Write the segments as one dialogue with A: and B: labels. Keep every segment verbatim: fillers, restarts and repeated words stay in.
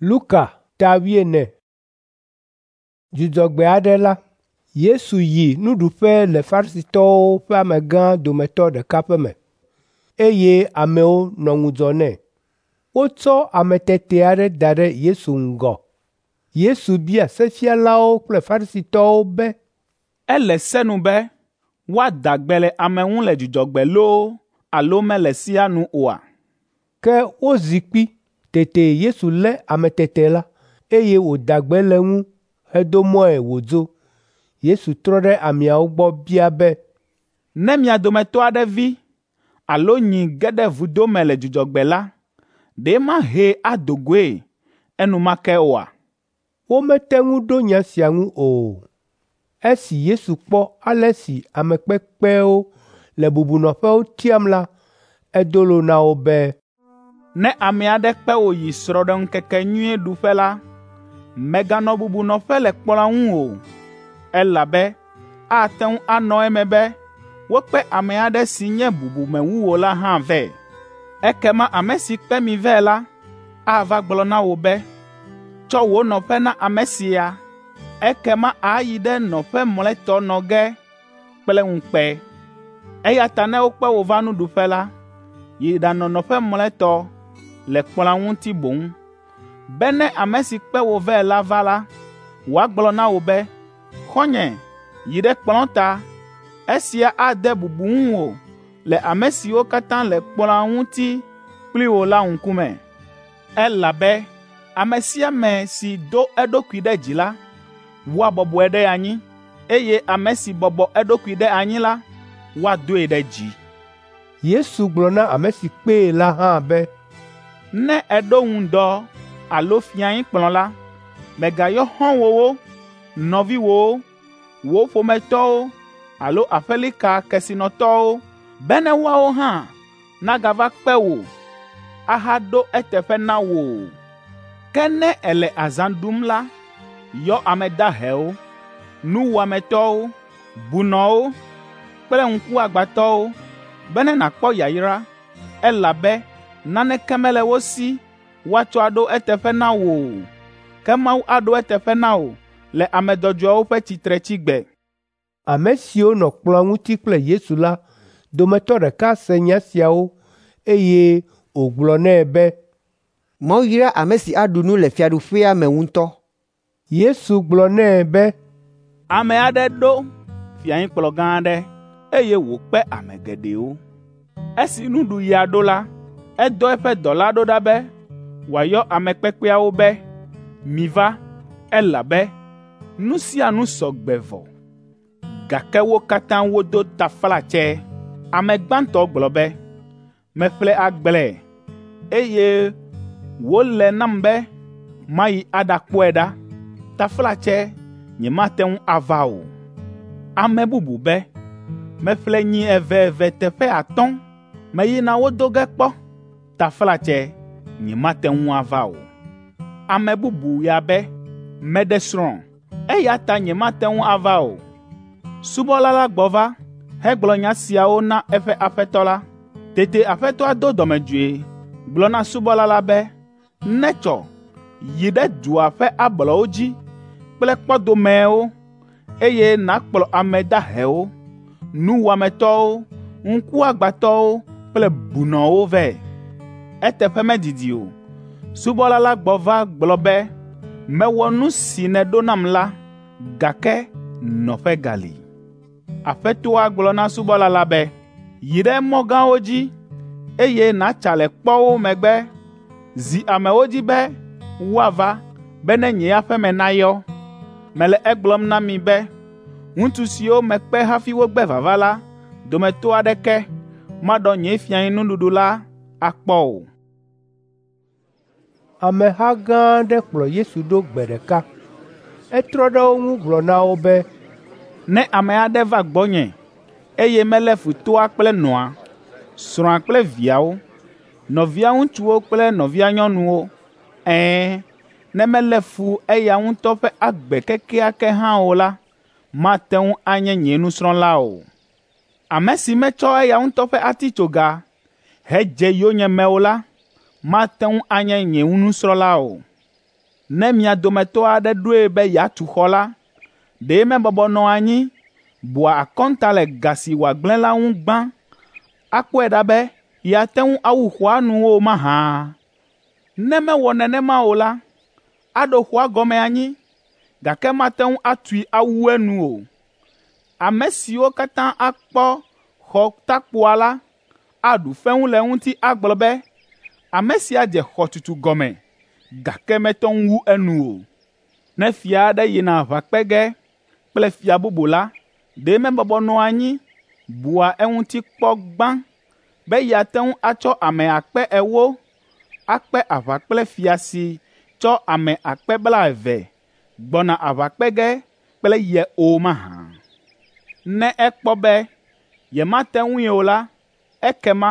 A: Luka ta wuiene. Dzudzɔgbe aɖe la, Yesu yi nuɖuƒe le Farisitɔwo ƒe amegã dometɔ ɖeka ƒe me, eye amewo nɔ ŋudzɔ nɛ. Wotsɔ ame tete aɖe da ɖe Yesu ŋgɔ. Yesu bia sefialawo kple Farisitɔwo be,
B: “Ele se nu be woada gbe le ame ŋu le dzudzɔgbe loo alo mele sea nu oa?”
A: Ke wozi kpi. Tete Yesu lé ame tete la, eye wòda gbe le eŋu hedo mɔe wòdzo. Yesu trɔ ɖe ameawo gbɔ bia be,
B: “Ne mia dometɔ aɖe vi alo nyi ge ɖe vudo me le dzudzɔgbe la, ɖe mahee ado goe enumake oa?”
A: Womete ŋu ɖo nya sia ŋu o. Esi Yesu kpɔ ale si ame kpekpewo le bubunɔƒewo tiam la, edo lo na wo be,
B: “Ne ame aɖe kpe wò yi srɔ̃ɖeŋkekenyui ɖuƒe la, mèganɔ bubunɔƒe le kplɔ̃a ŋu o, elabe ate ŋu anɔ eme be wokpe ame aɖe si nye bubume wu wò la hã vɛ. Ekema ame si kpe mi vɛ la ava gblɔ na wò be, ‘Tsɔ wò nɔƒe na ame sia.’ Ekema àyi ɖe nɔƒe mlɔetɔ nɔ ge kple ŋukpe. Eya ta ne wokpe wò va nuɖuƒe la, yi ɖanɔ nɔƒe mlɔetɔ le kplɔ̃a ŋuti boŋ, be ne ame si kpe wò vɛ la va la, wòagblɔ na wò be, ‘Xɔ̃nye, yi ɖe kplɔ̃ ta.’ Esia ade bubu ŋuwò le ame siwo katã le kplɔ̃a ŋuti kpli wò la ŋkume. Elabe ame sia ame si do eɖokui ɖe dzi la, woabɔbɔe ɖe anyi, eye ame si bɔbɔ eɖokui ɖe anyi la, woadoe ɖe dzi.”
A: Yesu gblɔ na ame si kpee la hã be,
B: “Ne èɖo ŋdɔ alo fiẽkplɔ̃ la, mègayɔ xɔ̃wòwo, nɔviwòwo, wò ƒometɔwo alo aƒelika kesinɔtɔwo bene woawo hã nagava kpe wò ahaɖo eteƒe na wò o. Ke ne èle azã ɖum la, yɔ ame dahewo, nuwɔametɔwo, bunɔwo kple ŋkuagbãtɔwo bene nàkpɔ yayra, elabe naneke mele wo si woatsɔ aɖo eteƒe na wò o, ke Mawu aɖo eteƒe na wò le ame dzɔdzɔewo ƒe tsitretsigbe.”
A: Ame siwo nɔ kplɔ̃a ŋuti kple Yesu la dometɔ ɖeka se nya siawo, eye wògblɔ nɛ be,
C: “Mawu yra ame si aɖu nu le fiaɖuƒea me ŋutɔ.”
A: Yesu gblɔ nɛ be,
B: “Ame aɖe ɖo fiẽkplɔ̃ gã aɖe, eye wòkpe ame geɖewo. Esi nuɖuɣia ɖo la, edɔ eƒe dɔla ɖo ɖa be wòayɔ ame kpekpeawo be, ‘Miva, elabe nu sia nu sɔ gbe vɔ.’ Gake wo katã wodo taflatse. Ame gbãtɔ gblɔ be, ‘Meƒle agble, eye wòle nam be mayi aɖakpɔe ɖa. Taflatse nyemate ŋu ava o.’ Ame bubu be, ‘Meƒle nyi eve eve teƒe atɔ̃, meyina wo do ge kpɔ. Taflatse nyemate ŋu ava o.’ Ame bubu ya be, ‘Meɖe srɔ̃, eya ta nyemate ŋu ava o.’ Subɔla la gbɔ va hegblɔ nya siawo na eƒe aƒetɔ la. Tete aƒetɔa do dɔmedzoe gblɔ na subɔla la be, ‘Netsɔ, yi ɖe dua ƒe ablɔwo dzi kple kpɔdomeewo, eye nàkplɔ ame dahewo, nuwɔametɔwo, ŋkuagbãtɔwo kple bunɔwo vɛ.’ Eteƒe medidi o, subɔla la gbɔ va gblɔ be, ‘Mewɔ nu si nèɖo nam la, gake nɔƒe gali.’ Aƒetɔa gblɔ na subɔla la be, ‘Yi ɖe mɔ gãwo dzi, eye nàtsa le kpɔwo megbe. Zi amewo dzi be woava bene nye aƒe me nayɔ. Mele egblɔm na mi be ŋutsu siwo mekpe hafi wogbe vava la dometɔ aɖeke maɖɔ nye fiẽnuɖuɖu la akpɔ o.”
A: Ameha gã aɖe kplɔ Yesu ɖo gbe ɖeka. Etrɔ ɖe wo ŋu gblɔ na wo be,
B: “Ne ame aɖe va gbɔnye, eye melé fu toa kple nɔa, srɔ̃a kple viawo, nɔvia ŋutsuwo kple nɔvia nyɔnuwo, ɛ̃, ne melé fu eya ŋutɔ ƒe agbe kekeake hã o la, mate ŋu anye nye nusrɔ̃la o. Ame si metsɔ eya ŋutɔ ƒe atitsoga hedze yonyeme o la, mate ŋu anye nye nusrɔ̃la o. Ne mia dometɔ aɖe ɖoe be yeatu xɔ la, ɖe mebɔbɔ nɔa anyi, bua akɔnta le ga si wòagblẽ la ŋu gbã, akpɔe ɖa be yeate ŋu awu xɔa nu o mahã? Ne mewɔ nenema o la, aɖo xɔa gɔme anyi, gake mate ŋu atui awu enu o. Ame siwo katã akpɔ xɔ takpoa la, aɖu fewu le eŋuti agblɔ be, ‘Ame sia dze xɔtutu gɔme, gake mete ŋu wu enu o.’ Ne fia aɖe yina aʋa kpe ge kple fia bubu la, ɖe mebɔbɔ nɔa anyi, bua eŋuti kpɔ gbã be yeate ŋu atsɔ ame akpe ewo akpe aʋa kple fia si tsɔ ame akpe blaeve gbɔna aʋa kpe ge kple ye o mahã? Ne ekpɔ be yemate ŋui o la, ekema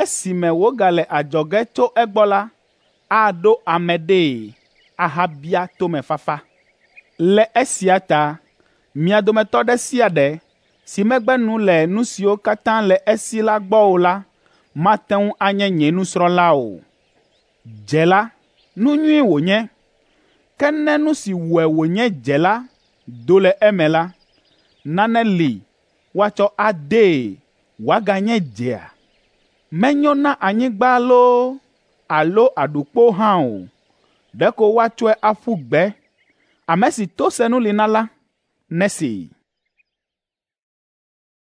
B: esime wògale adzɔge tso egbɔ la, aɖo ame ɖee ahabia tomefafa. Le esia ta mia dometɔ ɖe sia ɖe si megbe nu le nu siwo katã le esi la gbɔ o la, mate ŋu anye nye nusrɔ̃la o. Dze la, nu nyui wònye, ke ne nu si wɔe wònye dze la do le eme la, nane li woatsɔ adee wòaganye dzea? Menyo na anyigba loo alo aɖukpo hã o, ɖeko woatsɔe aƒu gbe. Ame si to senu li na la, nesee.”